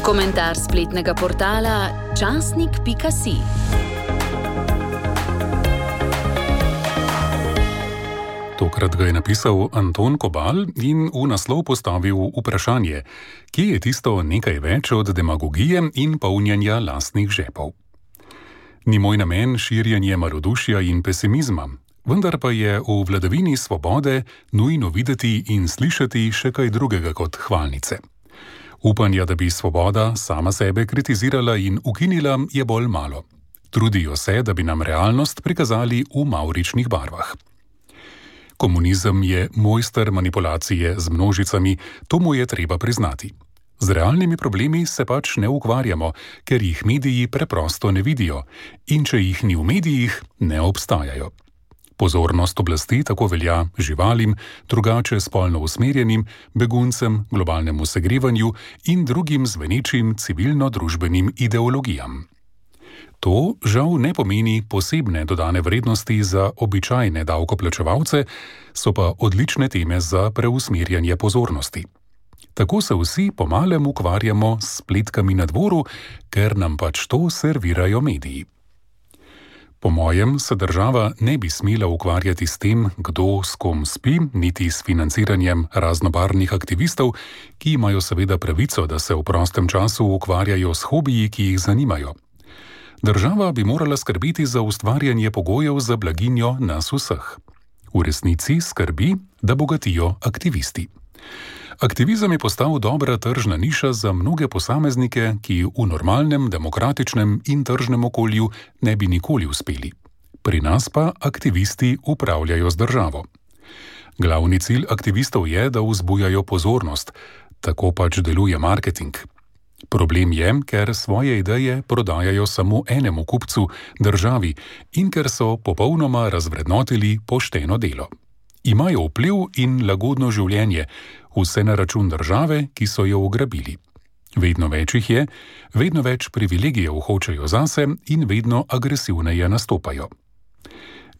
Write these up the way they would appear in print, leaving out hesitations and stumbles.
Komentar spletnega portala časnik.si. Tokrat ga je napisal Anton Kobal in v naslov postavil vprašanje, kje je tisto nekaj več od demagogije in polnjenja lastnih žepov. Ni moj namen širjenje malodušja in pesimizma, vendar pa je v vladavini svobode nujno videti in slišati še kaj drugega kot hvalnice. Upanja, da bi svoboda sama sebe kritizirala in ukinila, je bolj malo. Trudijo se, da bi nam realnost prikazali v mavričnih barvah. Komunizem je mojster manipulacije z množicami, to mu je treba priznati. Z realnimi problemi se pač ne ukvarjamo, ker jih mediji preprosto ne vidijo in če jih ni v medijih, ne obstajajo. Pozornost oblasti tako velja živalim, drugače spolno usmerjenim, beguncem, globalnemu segrevanju in drugim zvenečim civilno-družbenim ideologijam. To žal ne pomeni posebne dodane vrednosti za običajne davkoplačevalce, so pa odlične teme za preusmerjanje pozornosti. Tako se vsi pomalem ukvarjamo s spletkami na dvoru, ker nam pač to servirajo mediji. Po mojem se država ne bi smela ukvarjati s tem, kdo s kom spi, niti s financiranjem raznobarvnih aktivistov, ki imajo seveda pravico, da se v prostem času ukvarjajo s hobiji, ki jih zanimajo. Država bi morala skrbeti za ustvarjanje pogojev za blaginjo nas vseh. V resnici skrbi, da bogatijo aktivisti. Aktivizem je postal dobra tržna niša za mnoge posameznike, ki v normalnem, demokratičnem in tržnem okolju ne bi nikoli uspeli. Pri nas pa aktivisti upravljajo z državo. Glavni cilj aktivistov je, da vzbujajo pozornost. Tako pač deluje marketing. Problem je, ker svoje ideje prodajajo samo enemu kupcu, državi, in ker so popolnoma razvrednotili pošteno delo. Imajo vpliv in lagodno življenje, vse na račun države, ki so jo ugrabili. Vedno več jih je, vedno več privilegijev hočejo zase in vedno agresivneje nastopajo.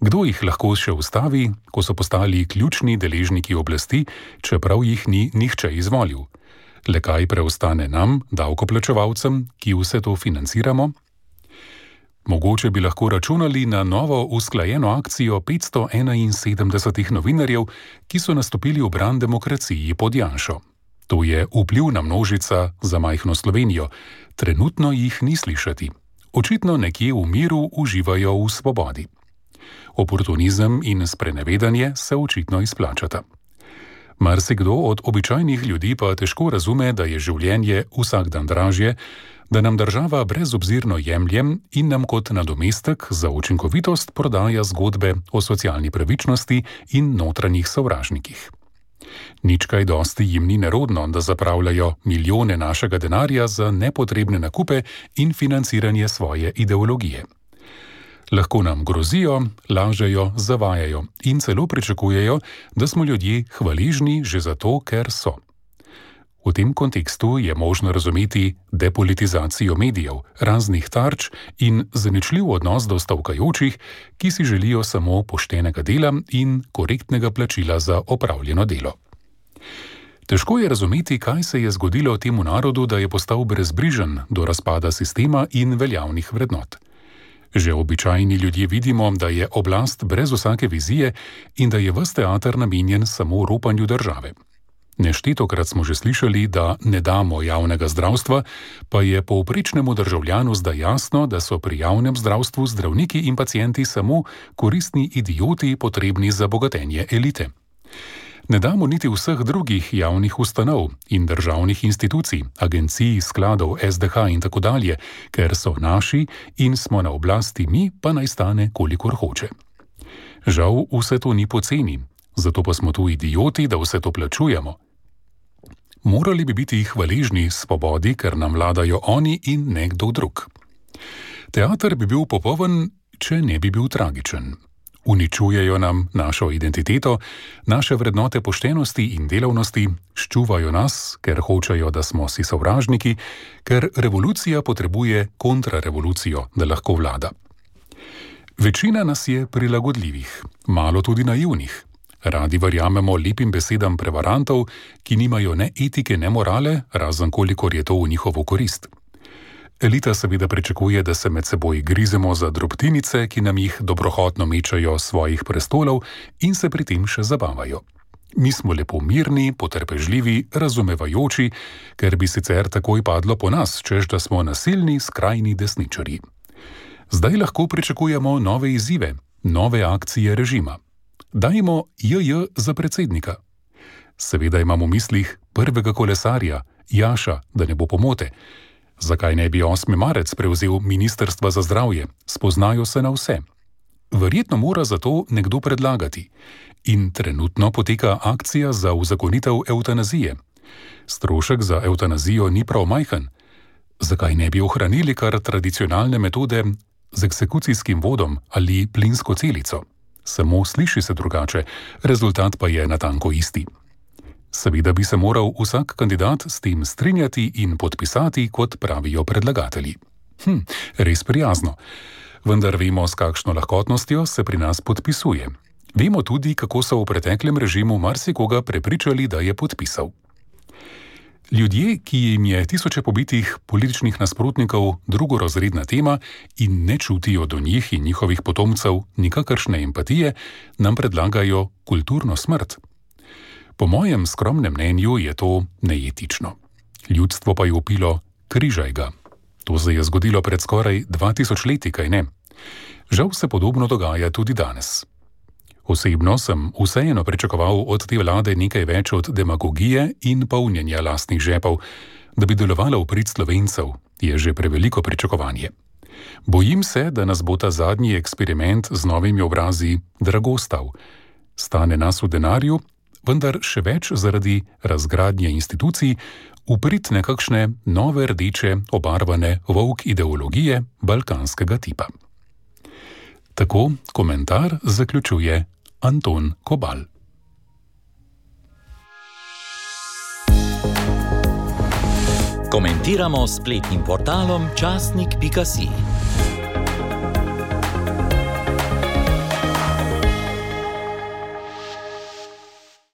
Kdo jih lahko še ustavi, ko so postali ključni deležniki oblasti, čeprav jih ni nihče izvolil? Le kaj preostane nam, davkoplačevalcem, ki vse to financiramo? Mogoče bi lahko računali na novo usklajeno akcijo 571 novinarjev, ki so nastopili v bran demokraciji pod Janšo. To je vplivna množica za majhno Slovenijo. Trenutno jih ni slišati. Očitno nekje v miru uživajo v svobodi. Oportunizem in sprenevedanje se očitno izplačata. Marsikdo od običajnih ljudi pa težko razume, da je življenje vsak dan dražje, da nam država brezobzirno jemlje in nam kot nadomestek za učinkovitost prodaja zgodbe o socialni pravičnosti in notranjih sovražnikih. Nič kaj dosti jim ni nerodno, da zapravljajo milijone našega denarja za nepotrebne nakupe in financiranje svoje ideologije. Lahko nam grozijo, lažejo, zavajajo in celo pričakujejo, da smo ljudje hvaležni že zato, ker so. V tem kontekstu je možno razumeti depolitizacijo medijev, raznih tarč in zaničljiv odnos do stavkajočih, ki si želijo samo poštenega dela in korektnega plačila za opravljeno delo. Težko je razumeti, kaj se je zgodilo temu narodu, da je postal brezbrižen do razpada sistema in veljavnih vrednot. Že običajni ljudje vidimo, da je oblast brez vsake vizije in da je ves teater namenjen samo ropanju države. Neštetokrat smo že slišali, da ne damo javnega zdravstva, pa je povprečnemu državljanu zdaj jasno, da so pri javnem zdravstvu zdravniki in pacienti samo koristni idioti, potrebni za bogatenje elite. Ne damo niti vseh drugih javnih ustanov in državnih institucij, agencij, skladov, SDH in tako dalje, ker so naši in smo na oblasti mi, pa naj stane kolikor hoče. Žal vse to ni poceni, zato pa smo tu idioti, da vse to plačujemo. Morali bi biti hvaležni svobodi, ker nam vladajo oni in nekdo drug. Teater bi bil popoln, če ne bi bil tragičen. Uničujejo nam našo identiteto, naše vrednote poštenosti in delavnosti, ščuvajo nas, ker hočejo, da smo si sovražniki, ker revolucija potrebuje kontrarevolucijo, da lahko vlada. Večina nas je prilagodljivih, malo tudi naivnih. Radi verjamemo lepim besedam prevarantov, ki nimajo ne etike, ne morale, razen kolikor je to v njihovo korist. Elita seveda pričakuje, da se med seboj grizemo za drobtinice, ki nam jih dobrohotno mečajo s svojih prestolov in se pri tem še zabavajo. Mi smo lepo mirni, potrpežljivi, razumevajoči, ker bi sicer takoj padlo po nas, češ da smo nasilni, skrajni desničarji. Zdaj lahko pričakujemo nove izzive, nove akcije režima. Dajmo JJ za predsednika. Seveda imam v mislih prvega kolesarja, Jaša, da ne bo pomote. Zakaj ne bi 8. marec prevzel Ministrstva za zdravje? Spoznajo se na vse. Verjetno mora za to nekdo predlagati. In trenutno poteka akcija za uzakonitev evtanazije. Strošek za evtanazijo ni prav majhen. Zakaj ne bi ohranili kar tradicionalne metode z eksekucijskim vodom ali plinsko celico? Samo sliši se drugače, rezultat pa je natanko isti. Seveda bi se moral vsak kandidat s tem strinjati in podpisati, kot pravijo predlagatelji. Res prijazno. Vendar vemo, s kakšno lahkotnostjo se pri nas podpisuje. Vemo tudi, kako so v preteklem režimu marsikoga prepričali, da je podpisal. Ljudje, ki jim je tisoče pobitih političnih nasprotnikov drugorazredna tema in ne čutijo do njih in njihovih potomcev nikakršne empatije, nam predlagajo kulturno smrt. Po mojem skromnem mnenju je to neetično. Ljudstvo pa je vpilo: križaj ga. To se je zgodilo pred skoraj 2000 leti, kaj ne? Žal se podobno dogaja tudi danes. Osebno sem vseeno pričakoval od te vlade nekaj več od demagogije in polnjenja lastnih žepov, da bi delovala v prid Slovencev, je že preveliko pričakovanje. Bojim se, da nas bo ta zadnji eksperiment z novimi obrazi drago stal. Stane nas v denarju, vendar še več zaradi razgradnje institucij, v prid nekakšne nove rdeče obarvane volk ideologije balkanskega tipa. Tako komentar zaključuje Anton Kobal. Komentiramo s spletnim portalom časnik.si.